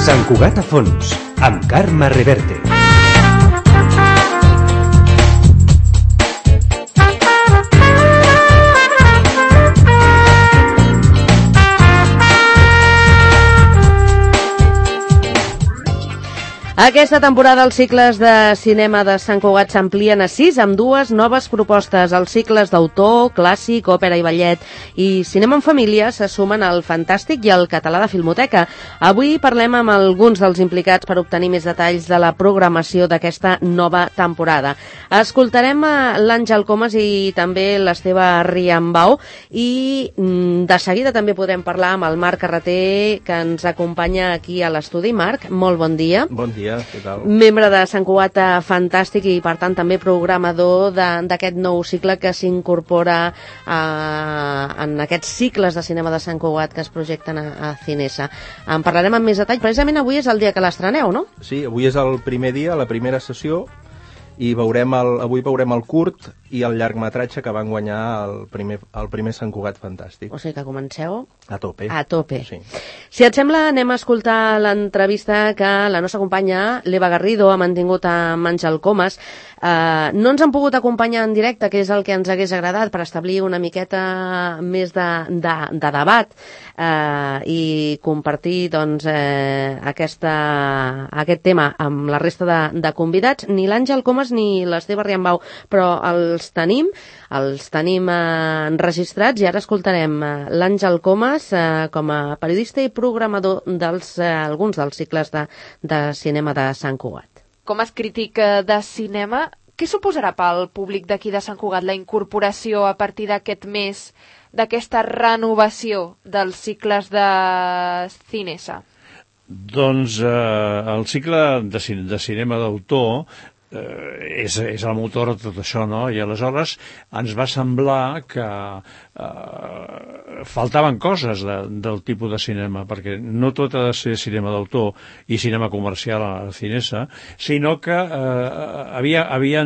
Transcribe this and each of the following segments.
Sant Cugat a fons, amb Carme Reverte. Aquesta temporada els cicles de cinema de Sant Cugat s'amplien a 6 amb 2 noves propostes. Els cicles d'autor, clàssic, òpera i ballet i cinema en família se sumen al Fantàstic i al Català de Filmoteca. Avui parlem amb alguns dels implicats per obtenir més detalls de la programació d'aquesta nova temporada. Escoltarem l'Àngel Comas i també l'Esteve Riambau i de seguida també podrem parlar amb el Marc Carreter, que ens acompanya aquí a l'estudi. Marc, molt bon dia. Bon dia. Què tal? Membre de Sant Cugat Fantàstic i, per tant, també programador d'aquest nou cicle que s'incorpora en aquests cicles de cinema de Sant Cugat que es projecten a Cinesa. En parlarem amb més detall. Precisament avui és el dia que l'estreneu, no? Sí, avui és el primer dia, la primera sessió, i avui veurem el curt i el llargmetratge que van guanyar el primer Sant Cugat Fantàstic. O sigui que comenceu a tope. A tope. Sí. Si et sembla, anem a escoltar l'entrevista que la nostra companya, l'Eva Garrido, ha mantingut amb Àngel Comas. No ens han pogut acompanyar en directe, que és el que ens hagués agradat, per establir una miqueta més de debat i compartir doncs, aquest tema amb la resta de convidats. Ni l'Àngel Comas ni l'Esteve Riambau, però els tenim enregistrats i ara escoltarem l'Àngel Comas com a periodista i programador d'alguns dels cicles de cinema de Sant Cugat. Com a crític de cinema, què suposarà pel públic d'aquí de Sant Cugat la incorporació a partir d'aquest mes d'aquesta renovació dels cicles de Cinesa? Doncs el cicle de cinema d'autor és el motor de tot això, no? I aleshores ens va semblar que faltaven coses del tipus de cinema, perquè no tot ha de ser cinema d'autor i cinema comercial a Cinesa, sinó que havien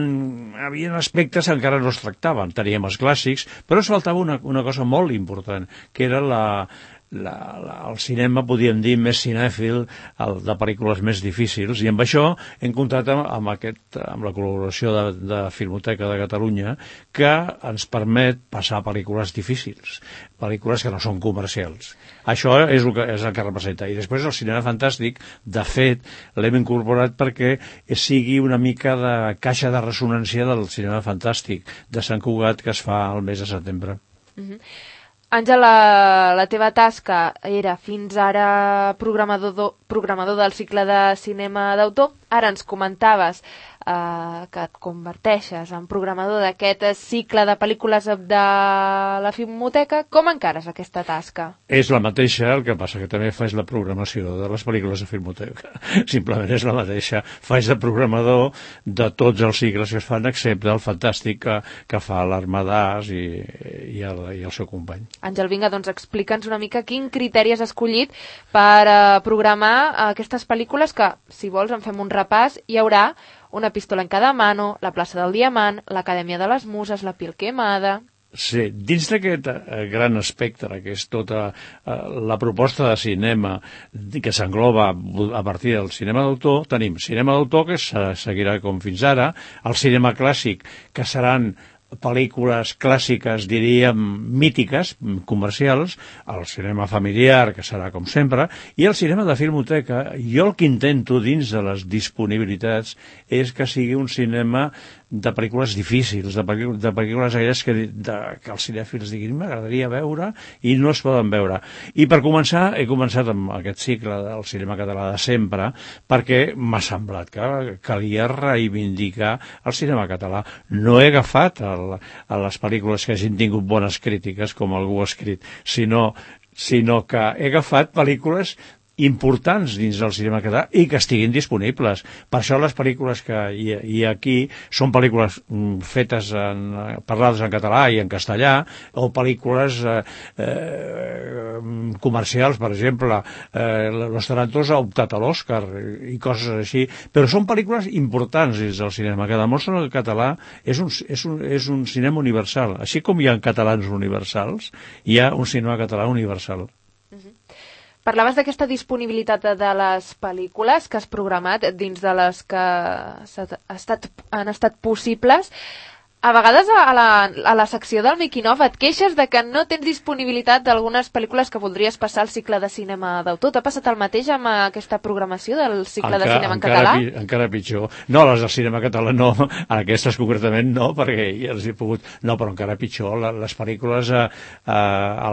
aspectes que encara no es tractaven. Teníem els clàssics, però es faltava una cosa molt important, que era el cinema, podríem dir, més cinèfil, de pel·lícules més difícils, i amb això hem comptat amb la col·laboració de Filmoteca de Catalunya, que ens permet passar pel·lícules difícils, pel·lícules que no són comercials. Això és el que representa. I després el cinema fantàstic, de fet, l'hem incorporat perquè sigui una mica de caixa de ressonància del cinema fantàstic de Sant Cugat que es fa al mes de setembre. Àngel, la teva tasca era fins ara programador del cicle de cinema d'autor. Ara ens comentaves que et converteixes en programador d'aquest cicle de pel·lícules de la Filmoteca. Com encares aquesta tasca? És la mateixa, el que passa que també faig la programació de les pel·lícules de Filmoteca. Simplement és la mateixa. Faig de programador de tots els cicles que es fan, excepte el fantàstic que fa l'Armadàs i el seu company. Àngel, vinga, doncs explica'ns una mica quin criteri has escollit per programar aquestes pel·lícules que, si vols, en fem un repàs. Hi haurà Una pistola en cada mano, La plaça del Diamant, l'Acadèmia de les Muses, La piel quemada... Sí, dins d'aquest gran espectre, que és tota la proposta de cinema que s'engloba a partir del cinema d'autor, tenim cinema d'autor, que seguirà com fins ara, el cinema clàssic, que seran pel·lícules clàssiques, diríem, mítiques, comercials, el cinema familiar, que serà com sempre, i el cinema de Filmoteca. Jo el que intento dins de les disponibilitats és que sigui un cinema de pel·lícules difícils, de pel·lícules aquelles que els cinèfils diguin m'agradaria veure i no es poden veure. I per començar, he començat amb aquest cicle del cinema català de sempre, perquè m'ha semblat que calia reivindicar el cinema català. No he agafat a les pel·lícules que hagin tingut bones crítiques, com algú ha escrit, sinó que he agafat pel·lícules importants dins del cinema català i que estiguin disponibles. Per això les pel·lícules que hi ha aquí són pel·lícules fetes parlades en català i en castellà, o pel·lícules comercials, per exemple, Los Tarantos ha optat a l'Oscar i coses així, però són pel·lícules importants dins del cinema, que demostren que el català és un cinema universal. Així com hi ha catalans universals, hi ha un cinema català universal. Parlaves d'aquesta disponibilitat de les pel·lícules que has programat dins de les que han estat possibles. A vegades a la secció del Making of et queixes de que no tens disponibilitat d'algunes pel·lícules que voldries passar al cicle de cinema d'autor. T'ha passat el mateix amb aquesta programació del cicle de cinema en català? Encara pitjor. No, les del cinema català no, aquestes concretament no, perquè ja els he pogut... No, però encara pitjor, les pel·lícules a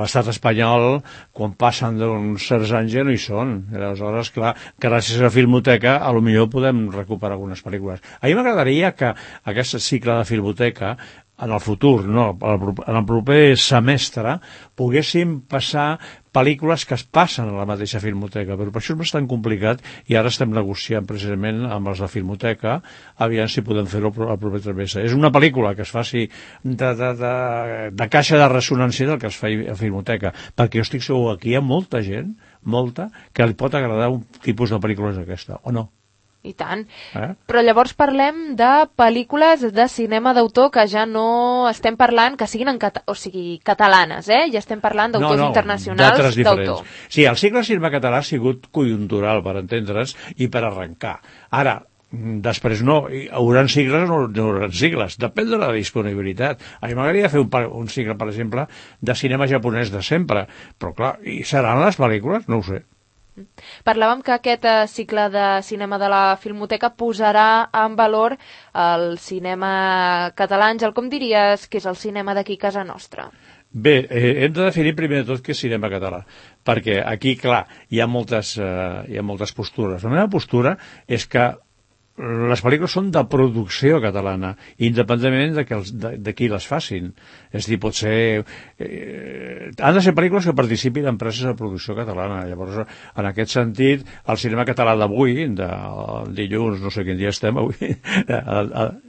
l'estat espanyol, quan passen d'uns certs anys ja no hi són. Aleshores, clar, gràcies a la Filmoteca, potser podem recuperar algunes pel·lícules. A mi m'agradaria que aquest cicle de Filmoteca en el futur, no, en el proper semestre, poguéssim passar pel·lícules que es passen a la mateixa Filmoteca, però per això és bastant complicat i ara estem negociant precisament amb els de Filmoteca, aviam si podem fer-ho al proper trimestre. És una pel·lícula que es faci de caixa de ressonància del que es fa a Filmoteca, perquè jo estic segur que hi ha molta gent, que li pot agradar un tipus de pel·lícules d'aquesta, o no? I tant. Però llavors parlem de pel·lícules de cinema d'autor que ja no estem parlant que siguin catalanes, ja estem parlant d'autors internacionals d'autor. Sí, el cicle de cinema català ha sigut conjuntural, per entendre's, i per arrencar. Ara, després no, hi hauran cicles o no hauran cicles, depèn de la disponibilitat. A mi m'agradaria fer un cicle, per exemple, de cinema japonès de sempre, però clar, i seran les pel·lícules? No ho sé. Parlàvem que aquest cicle de cinema de la Filmoteca posarà en valor el cinema català. Àngel, com diries que és el cinema d'aquí a casa nostra? Bé, hem de definir primer de tot què és cinema català, perquè aquí, clar, hi ha moltes postures. La meva postura és que les pel·lícules són de producció catalana, independentment de qui les facin. És a dir, pot ser... han de ser pel·lícules que participin en empreses de producció catalana. Llavors, en aquest sentit, el cinema català d'avui, de dilluns, no sé quin dia estem avui...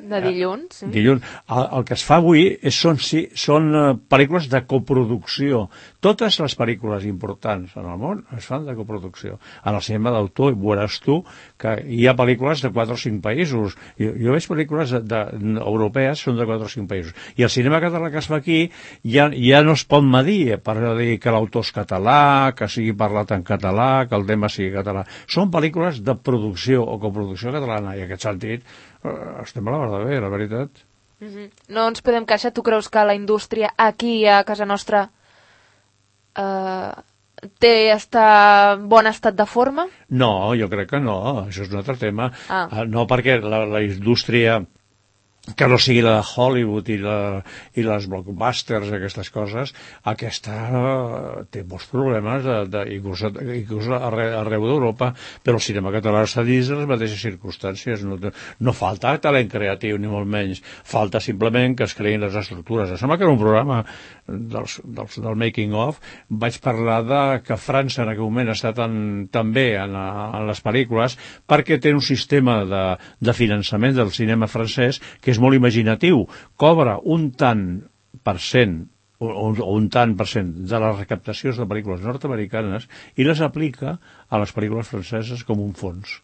De dilluns, sí. Dilluns. El que es fa avui són pel·lícules de coproducció. Totes les pel·lícules importants en el món es fan de coproducció. En el cinema d'autor veuràs tu que hi ha pel·lícules de 4 o 5 països. Jo veig pel·lícules europees, són de 4 o 5 països. I el cinema català que es fa aquí ja no es pot medir per dir que l'autor és català, que sigui parlat en català, que el tema sigui català. Són pel·lícules de producció o coproducció catalana, i en aquest sentit estem a la verda bé, la veritat. No ens podem queixar. Tu creus que la indústria aquí a casa nostra té bon estat de forma? No, jo crec que no, això és un altre tema. No, perquè la indústria que no sigui la de Hollywood i les blockbusters, aquestes coses, aquesta té molts problemes, inclús arreu d'Europa, però el cinema català està dins de les mateixes circumstàncies. No falta talent creatiu, ni molt menys. Falta simplement que es creïn les estructures. Em sembla que en un programa del Making of vaig parlar que França en aquell moment està tan bé en les pel·lícules perquè té un sistema de finançament del cinema francès que és molt imaginatiu, cobra un tant per cent o un tant per cent de les recaptacions de pel·lícules nord-americanes i les aplica a les pel·lícules franceses com un fons.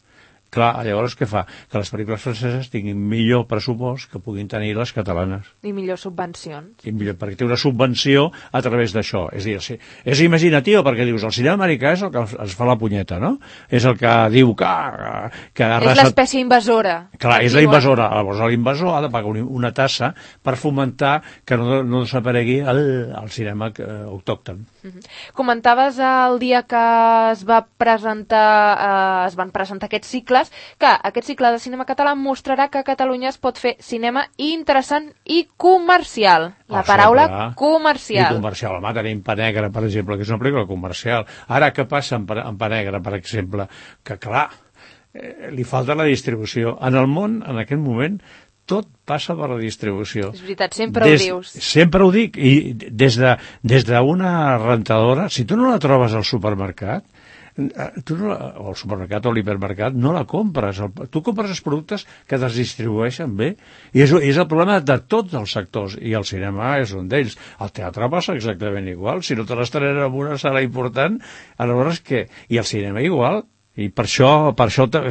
Clar, llavors què fa? Que les pel·lícules franceses tinguin millor pressupost que puguin tenir les catalanes. I millors subvencions. Perquè té una subvenció a través d'això. És a dir, és imaginatiu, perquè dius, el cinema americà és el que es fa la punyeta, no? És el que diu que és l'espècie invasora. Clar, és la invasora. Llavors l'invasor ha de pagar una tassa per fomentar que no desaparegui el cinema autòcton. Comentaves el dia que es van presentar aquests cicles, que aquest cicle de cinema català mostrarà que a Catalunya es pot fer cinema interessant i comercial. La paraula comercial. I comercial. Home, tenim Pa Negre, per exemple, que és una pel·lícula comercial. Ara, què passa amb Pa Negre, per exemple? Que, clar, li falta la distribució. En el món, en aquest moment, tot passa per la distribució. És veritat, sempre ho dius. Sempre ho dic, i des d'una rentadora, si tu no la trobes al supermercat, tu no o al supermercat o a l'hipermercat no la compres. Tu compres els productes que es distribueixen bé. I és el problema de tots els sectors, i el cinema és un d'ells. El teatre passa exactament igual. Si no te l'estrenen en una sala important, aleshores què? I el cinema igual. I per això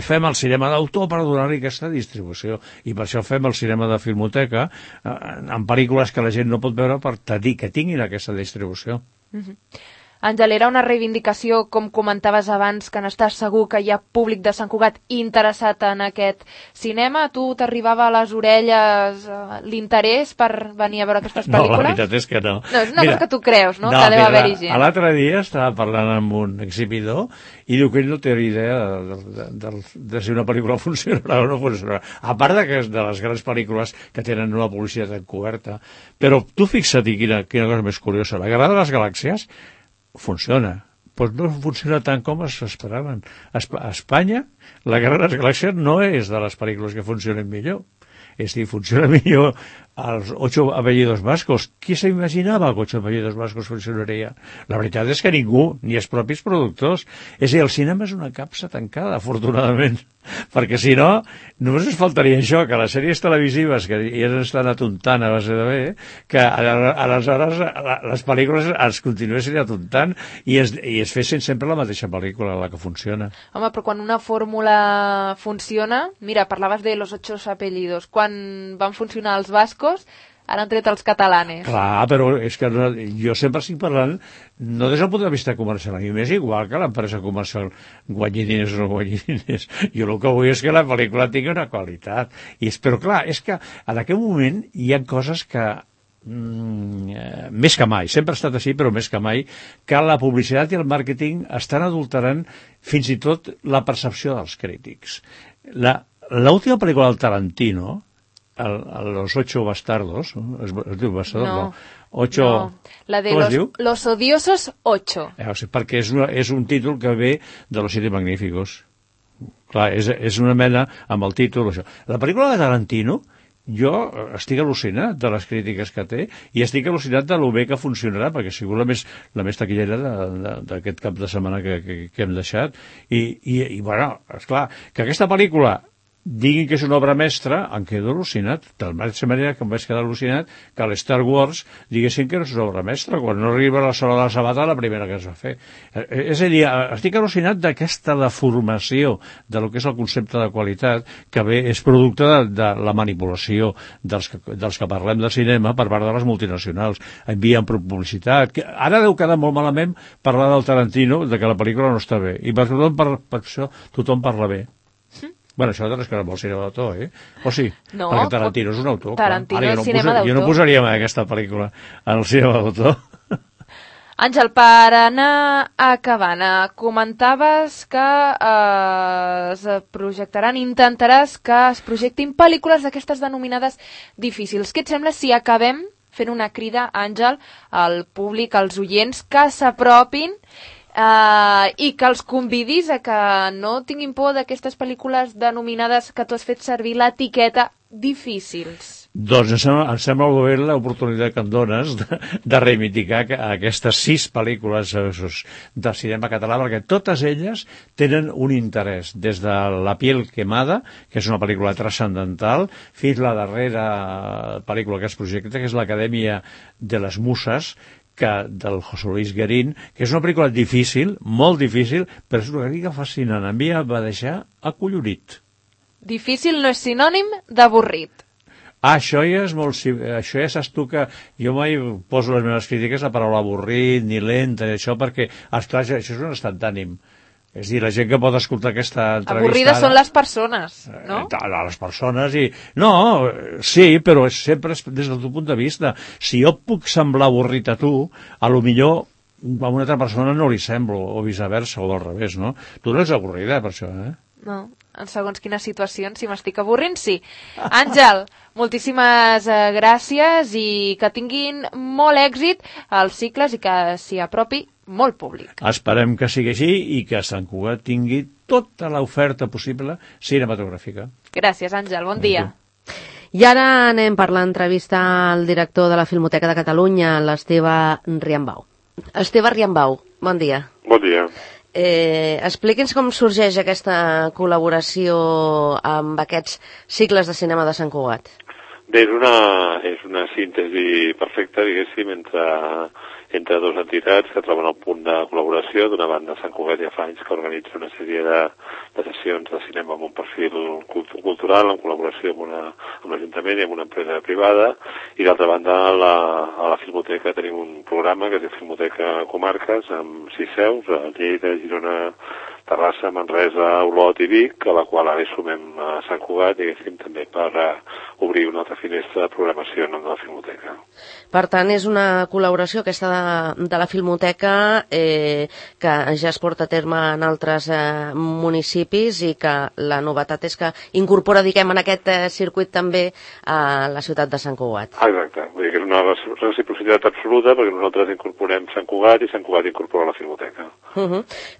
fem el cinema d'autor, per donar-li aquesta distribució, i per això fem el cinema de filmoteca en pel·lícules que la gent no pot veure per dir que tinguin aquesta distribució. Àngel, era una reivindicació, com comentaves abans, que n'estàs segur que hi ha públic de Sant Cugat interessat en aquest cinema? A tu t'arribava a les orelles l'interès per venir a veure aquestes pel·lícules? No, la veritat és que no. No, és una cosa que tu creus, no? Que deu haver-hi gent. L'altre dia estava parlant amb un exhibidor i diu que ell no té idea de si una pel·lícula funcionarà o no funcionarà. A part de les grans pel·lícules que tenen una publicitat encoberta. Però tu fixa't quina cosa més curiosa. La Guerra de les Galàxies funciona, però no funciona tant com s'esperaven. A Espanya, la Guerra de les Galàxies no és de les pel·lícules que funcionen millor. És a dir, funciona millor els 8 apellidos vascos. Qui s'imaginava que 8 apellidos vascos funcionaria? La veritat és que ningú, ni els propis productors. És a dir, el cinema és una capsa tancada, afortunadament, perquè si no, només ens faltaria això, que les sèries televisives, que ja estan atontant a base de bé, que aleshores les pel·lícules es continuessin atontant i es fessin sempre la mateixa pel·lícula, la que funciona. Home, però quan una fórmula funciona, mira, parlaves de los 8 apellidos, quan van funcionar els bascos, ara han tret els catalanes. Clar, però és que jo sempre estic parlant no des del punt de vista comercial. A mi m'és igual que l'empresa comercial guanyi diners o no guanyi diners. Jo el que vull és que la pel·lícula tingui una qualitat. Però clar, és que en aquest moment hi ha coses que més que mai, sempre ha estat així, però més que mai, que la publicitat i el màrqueting estan adulterant fins i tot la percepció dels crítics. L'última pel·lícula del Tarantino, Los 8 bastardos, es diu bastardos? No. 8... No, la de los odiosos 8. Perquè és un títol que ve de Los 7 magníficos. Clar, és una mena amb el títol, això. La pel·lícula de Tarantino, jo estic al·lucinat de les crítiques que té i estic al·lucinat de lo bé que funcionarà, perquè ha sigut la més taquillera d'aquest cap de setmana que hem deixat. I bueno, esclar, que aquesta pel·lícula diguin que és una obra mestra, em quedo al·lucinat, de la mateixa manera que em vaig quedar al·lucinat que l'Star Wars diguessin que no és una obra mestra, quan no arriba la sola de la sabata la primera que es va fer. És a dir, estic al·lucinat d'aquesta deformació de lo que és el concepte de qualitat, que bé és producte de la manipulació dels que parlem de cinema per part de les multinacionals. Envien publicitat. Ara deu quedar molt malament parlar del Tarantino, de que la pel·lícula no està bé, i per això tothom parla bé. Bueno, això és que no vol cinema d'autor, O sí? No, perquè Tarantino és un autor. Tarantino és cinema d'autor. Jo no posaria mai aquesta pel·lícula en el cinema d'autor. Àngel, per anar acabant, comentaves que es projectaran, intentaràs que es projectin pel·lícules d'aquestes denominades difícils. Què et sembla si acabem fent una crida, Àngel, al públic, als oients, que s'apropin i que els convidis a que no tinguin por d'aquestes pel·lícules denominades, que tu has fet servir l'etiqueta, difícils? Doncs em sembla molt bé l'oportunitat que em dones de reivindicar aquestes 6 pel·lícules de cinema català, perquè totes elles tenen un interès, des de La piel quemada, que és una pel·lícula transcendental, fins a la darrera pel·lícula que es projecta, que és l'Acadèmia de les Muses, del José Luis Guerín, que és una pel·lícula difícil, molt difícil, però és una pel·lícula fascinant. A mi em va deixar acollonit. Difícil no és sinònim d'avorrit. Això ja és molt... Això ja saps tu que jo mai poso les meves crítiques la paraula avorrit, ni lenta, això, perquè, esclar, això és un estat d'ànim. És a dir, la gent que pot escoltar aquesta entrevistada... Avorrides són les persones, no? Les persones i... No, sí, però sempre des del teu punt de vista. Si jo puc semblar avorrit a tu, a lo millor a una altra persona no li semblo, o viceversa, o al revés, no? Tu no ets avorrida, per això, No, en segons quines situacions, si m'estic avorrint, sí. Àngel, moltíssimes gràcies i que tinguin molt èxit als cicles i que s'hi apropi molt públic. Esperem que sigui així i que Sant Cugat tingui tota l'oferta possible cinematogràfica. Gràcies, Àngel. Bon dia. I ara anem per l'entrevista al director de la Filmoteca de Catalunya, l'Esteve Riambau. Esteve Riambau, bon dia. Bon dia. Expliqui'ns com sorgeix aquesta col·laboració amb aquests cicles de cinema de Sant Cugat. Bé, és una síntesi perfecta, diguéssim, entre dues entitats que troben el punt de col·laboració. D'una banda, Sant Cugat ja fa anys que organitza una sèrie de sessions de cinema amb un perfil cultural, en col·laboració amb l'Ajuntament i amb una empresa privada, i d'altra banda, a la Filmoteca tenim un programa que es diu Filmoteca Comarques, amb 6 seus, a Lleida, Girona, Terrassa, Manresa, Olot i Vic, a la qual ara hi sumem a Sant Cugat, diguéssim, també per obrir una altra finestra de programació en la Filmoteca. Per tant, és una col·laboració aquesta de la Filmoteca que ja es porta a terme en altres municipis i que la novetat és que incorpora, diguem, en aquest circuit també a la ciutat de Sant Cugat. Exacte, vull dir que és una reciprocitat absoluta perquè nosaltres incorporem Sant Cugat i Sant Cugat incorpora la Filmoteca.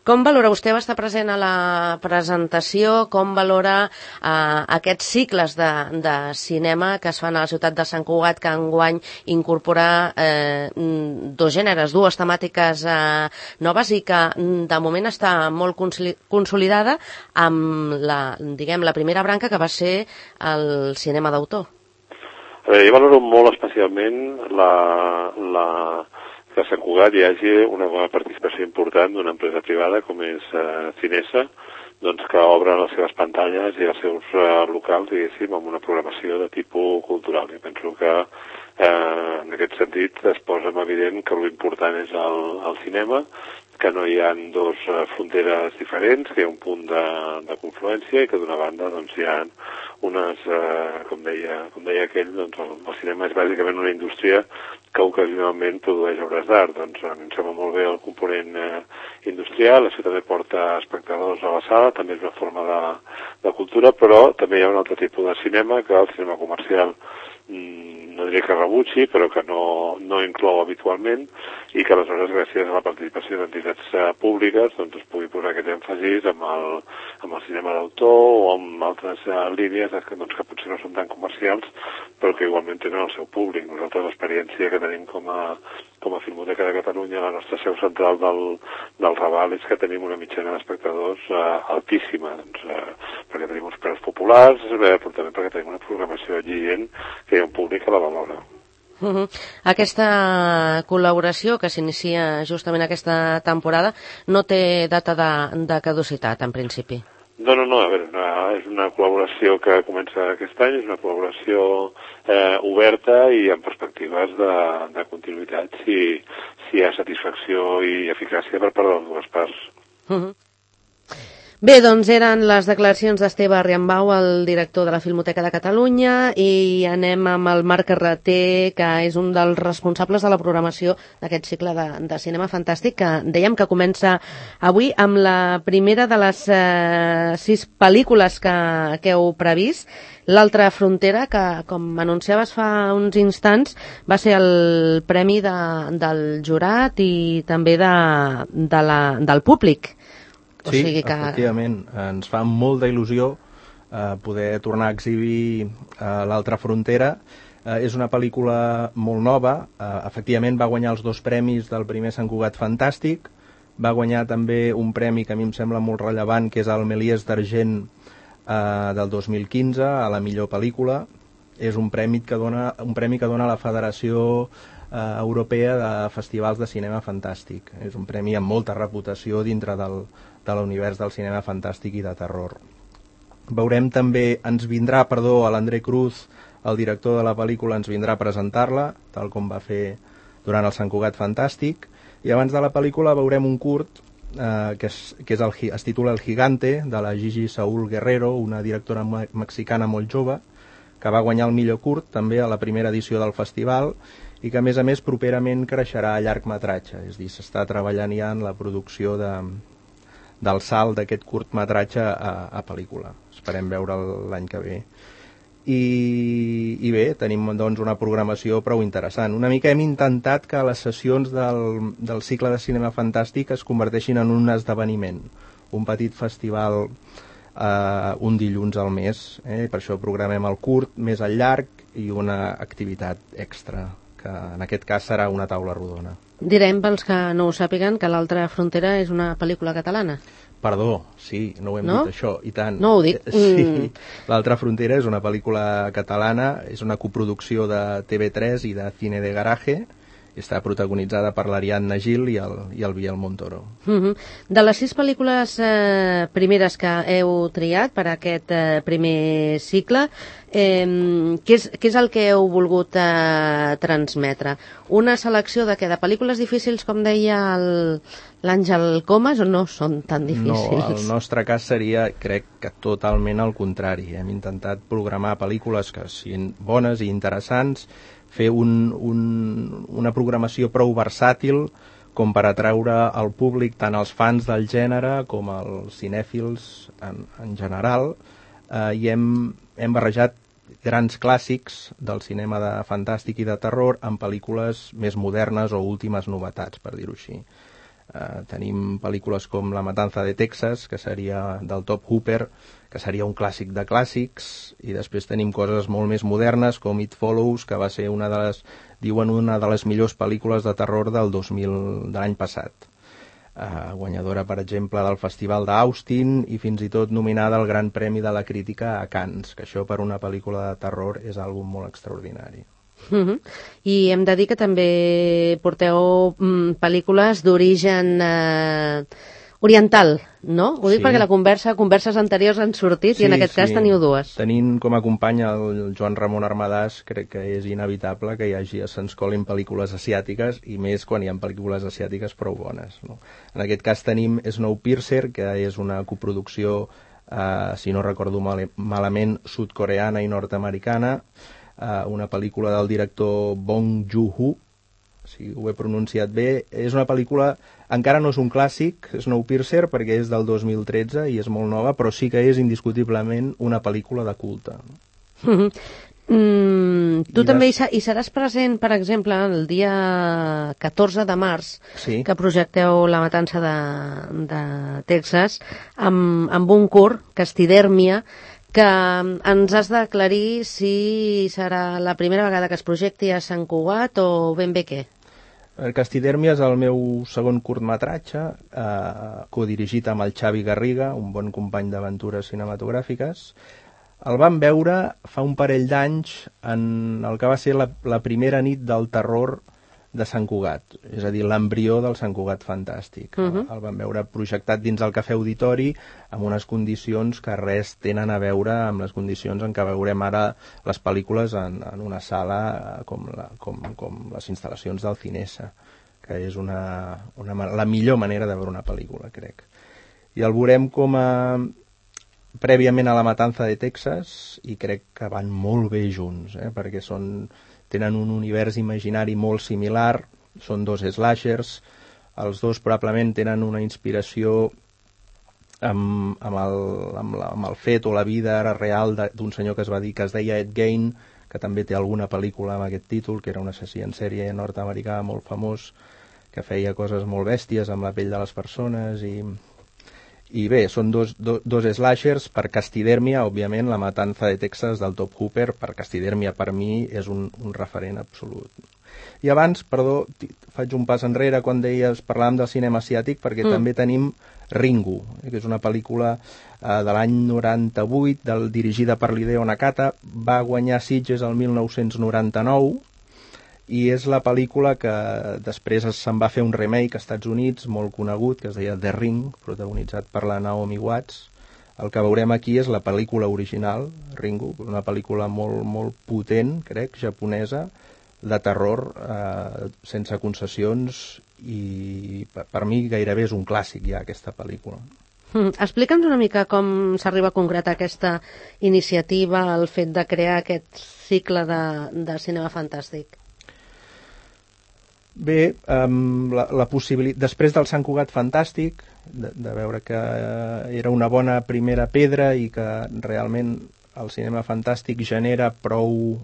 Com valora, vostè va estar present a la presentació, com valora aquests cicles de cinema que es fan a la ciutat de Sant Cugat, que enguany incorpora dos gèneres, dues temàtiques noves i que de moment està molt consolidada amb la primera branca que va ser el cinema d'autor? A veure, jo valoro molt especialment que a Sant Cugat hi hagi una participació important d'una empresa privada com és Cinesa, doncs que obre les seves pantalles i els seus locals, diguéssim, amb una programació de tipus cultural. Jo penso que en aquest sentit es posa en evident que l'important és el cinema, que no hi ha dues fronteres diferents, que hi ha un punt de confluència i que d'una banda doncs, hi ha unes, com deia aquell, doncs, el cinema és bàsicament una indústria que ocasionalment produeix obres d'art. Doncs a mi em sembla molt bé el component industrial, això també porta espectadors a la sala, també és una forma de cultura, però també hi ha un altre tipus de cinema, que el cinema comercial no diria que rebutgi, però que no inclou habitualment, i que aleshores, gràcies a la participació d'entitats públiques, doncs es pugui posar aquest èmfasis amb el cinema d'autor o amb altres línies que potser no són tan comercials, però que igualment tenen el seu públic. Nosaltres l'experiència que tenim com a Filmoteca de Catalunya, la nostra seu central del Raval, és que tenim una mitjana d'espectadors altíssima, perquè tenim uns preus populars, però també perquè tenim una programació exigent que hi ha un públic que la valora. Aquesta col·laboració que s'inicia justament aquesta temporada no té data de caducitat, en principi? No, a veure, és una col·laboració que comença aquest any, és una col·laboració oberta i amb perspectives de continuïtat si hi ha satisfacció i eficàcia per part de les dues parts. Bé, doncs eren les declaracions d'Esteve Riambau, el director de la Filmoteca de Catalunya, i anem amb el Marc Carreter, que és un dels responsables de la programació d'aquest cicle de cinema fantàstic, que dèiem que comença avui amb la primera de les 6 pel·lícules que heu previst, L'altra frontera, que, com anunciaves fa uns instants, va ser el premi del jurat i també del públic. O sí, sigui que... efectivament, ens fa molta il·lusió poder tornar a exhibir L'altra frontera. És una pel·lícula molt nova, efectivament va guanyar els 2 premis del primer Sant Cugat Fantàstic, va guanyar també un premi que a mi em sembla molt rellevant, que és el Méliès d'Argent del 2015, a la millor pel·lícula. És un premi que dona la Federació Europea de Festivals de Cinema Fantàstic. És un premi amb molta reputació dintre de l'univers del cinema fantàstic i de terror. Veurem també, a l'André Cruz, el director de la pel·lícula, ens vindrà a presentar-la, tal com va fer durant el Sant Cugat Fantàstic, i abans de la pel·lícula veurem un curt que es titula El Gigante, de la Gigi Saúl Guerrero, una directora mexicana molt jove, que va guanyar el millor curt també a la primera edició del festival, i que a més properament creixerà a llargmetratge, és a dir, s'està treballant ja en la producció del salt d'aquest curtmetratge a pel·lícula. Esperem veure'l l'any que ve. I bé, tenim doncs una programació prou interessant. Una mica hem intentat que les sessions del cicle de cinema fantàstic es converteixin en un esdeveniment, un petit festival un dilluns al mes. Per això programem el curt, més el llarg i una activitat extra que en aquest cas serà una taula rodona. Direm, pels que no ho sàpiguen, que l'altra frontera és una pel·lícula catalana. Perdó, sí, no ho hem dit això, i tant. No ho dic. Sí, l'altra frontera és una pel·lícula catalana, és una coproducció de TV3 i de Cine de Garaje, està protagonitzada per l'Ariadna Gil i el Biel Montoro. De les 6 pel·lícules primeres que heu triat per aquest primer cicle, què és el que heu volgut transmetre? Una selecció de pel·lícules difícils, com deia l'Àngel Comas, o no són tan difícils? No, el nostre cas seria, crec que totalment al contrari. Hem intentat programar pel·lícules que siguin bones i interessants, fer una programació prou versàtil com per atraure al públic, tant els fans del gènere com els cinèfils en general, i hem barrejat grans clàssics del cinema de fantàstic i de terror amb pel·lícules més modernes o últimes novetats, per dir-ho així. Tenim pel·lícules com La matanza de Texas, que seria del Top Hooper, que seria un clàssic de clàssics, i després tenim coses molt més modernes com It Follows, que va ser una de les millors pel·lícules de terror del 2000 de l'any passat. Guanyadora, per exemple, del Festival d'Austin i fins i tot nominada al Gran Premi de la Crítica a Cannes, que això per una pel·lícula de terror és algo molt extraordinari. I hem de dir que també porteu pel·lícules d'origen oriental, no? Ho dic perquè la converses anteriors han sortit i en aquest cas teniu dues. Tenint com a company el Joan Ramon Armadàs, crec que és inevitable que se'ns colin pel·lícules asiàtiques, i més quan hi ha pel·lícules asiàtiques prou bones, no? En aquest cas tenim Snowpiercer, que és una coproducció, si no recordo malament, sud-coreana i nord-americana, una pel·lícula del director Bong Joon-ho, si ho he pronunciat bé. És una pel·lícula, encara no és un clàssic, Snowpiercer, perquè és del 2013 i és molt nova, però sí que és indiscutiblement una pel·lícula de culte. Tu també hi seràs present, per exemple, el dia 14 de març, que projecteu La matança de Texas, amb un curt, Castidèrmia, que ens has d'aclarir si serà la primera vegada que es projecti a Sant Cugat o ben bé què. Castidèrmia és el meu segon curtmetratge, codirigit amb el Xavi Garriga, un bon company d'aventures cinematogràfiques. El vam veure fa un parell d'anys en el que va ser la primera nit del terror de Sant Cugat, és a dir, l'embrió del Sant Cugat fantàstic. El vam veure projectat dins el Cafè Auditori amb unes condicions que res tenen a veure amb les condicions en què veurem ara les pel·lícules en una sala com les instal·lacions del Cinesa, que és la millor manera de veure una pel·lícula, crec. I el veurem prèviament a La matanza de Texas, i crec que van molt bé junts, perquè tenen un univers imaginari molt similar, són dos slashers, els dos probablement tenen una inspiració amb el fet o la vida real d'un senyor que es deia Ed Gein, que també té alguna pel·lícula amb aquest títol, que era un assassí en sèrie nord-americà molt famós, que feia coses molt bèsties amb la pell de les persones, i bé, són dos slashers. Per Castidèrmia, òbviament, La matanza de Texas del Top Hooper, per Castidèrmia per mi és un referent absolut. I abans, perdó, faig un pas enrere quan parlàvem del cinema asiàtic, perquè també tenim Ringu, que és una pel·lícula de l'any 98, dirigida per l'Hideo Nakata, va guanyar Sitges el 1999, i és la pel·lícula que després se'n va fer un remake als Estats Units molt conegut, que es deia The Ring, protagonitzat per la Naomi Watts. El que veurem aquí és la pel·lícula original, Ringu, una pel·lícula molt, molt potent, crec, japonesa, de terror, sense concessions, i per mi gairebé és un clàssic ja aquesta pel·lícula. Explica'ns una mica com s'arriba a concretar aquesta iniciativa, el fet de crear aquest cicle de cinema fantàstic. Bé, la possibilitat, després del Sant Cugat fantàstic, de veure que era una bona primera pedra i que realment el cinema fantàstic genera prou,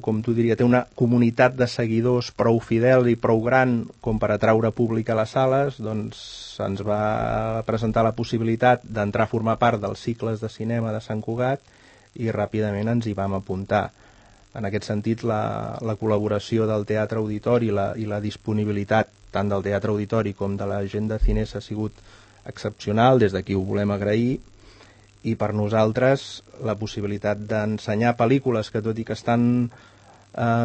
com tu diria, té una comunitat de seguidors prou fidel i prou gran com per atraure públic a les sales, doncs se'ns va presentar la possibilitat d'entrar a formar part dels cicles de cinema de Sant Cugat i ràpidament ens hi vam apuntar. En aquest sentit, la col·laboració del Teatre Auditori i la disponibilitat tant del Teatre Auditori com de la gent de Cinesa ha sigut excepcional, des d'aquí ho volem agrair, i per nosaltres la possibilitat d'ensenyar pel·lícules que, tot i que estan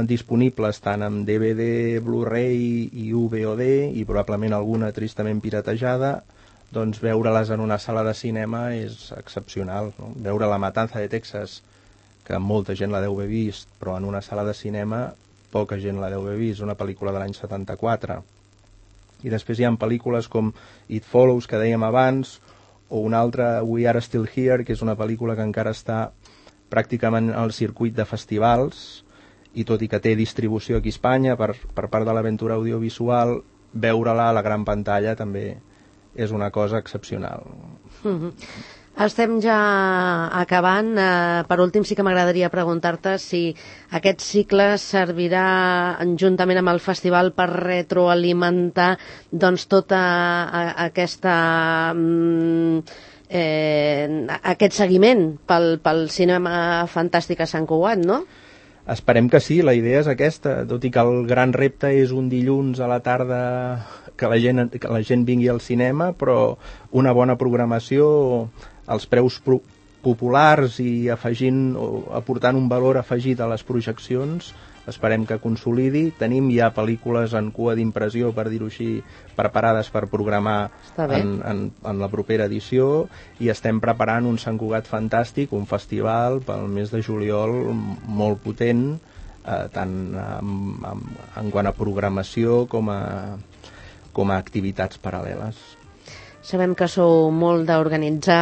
disponibles tant en DVD, Blu-ray i VOD, i probablement alguna tristament piratejada, doncs veure-les en una sala de cinema és excepcional, no? Veure La Matanza de Texas, que molta gent la deu haver vist, però en una sala de cinema poca gent la deu haver vist, una pel·lícula de l'any 74. I després hi ha pel·lícules com It Follows, que dèiem abans, o una altra, We Are Still Here, que és una pel·lícula que encara està pràcticament al circuit de festivals, i tot i que té distribució aquí a Espanya per part de l'Aventura Audiovisual, veure-la a la gran pantalla també és una cosa excepcional. Estem ja acabant. Per últim, sí que m'agradaria preguntar-te si aquest cicle servirà juntament amb el festival per retroalimentar doncs tota aquesta aquest seguiment pel cinema fantàstic a Sant Cugat, no? Esperem que sí, la idea és aquesta, tot i que el gran repte és un dilluns a la tarda que la gent vingui al cinema, però una bona programació, els preus populars i aportant un valor afegit a les projeccions, esperem que consolidi. Tenim ja pel·lícules en cua d'impressió, per dir-ho així, preparades per programar en la propera edició, i estem preparant un Sant Cugat Fantàstic, un festival pel mes de juliol molt potent, tant en quant a programació com a activitats paral·leles. Sabem que sou molt d'organitzar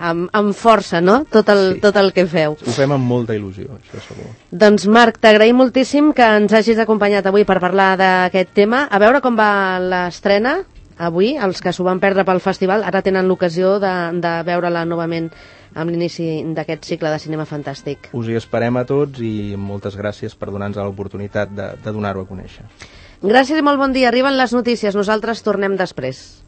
amb força, no? Tot el que feu. Ho fem amb molta il·lusió, això segur. Doncs Marc, t'agraïm moltíssim que ens hagis acompanyat avui per parlar d'aquest tema. A veure com va l'estrena avui. Els que s'ho van perdre pel festival ara tenen l'ocasió de veure-la novament amb l'inici d'aquest cicle de cinema fantàstic. Us hi esperem a tots i moltes gràcies per donar-nos l'oportunitat de donar-ho a conèixer. Gràcies i molt bon dia. Arriben les notícies. Nosaltres tornem després.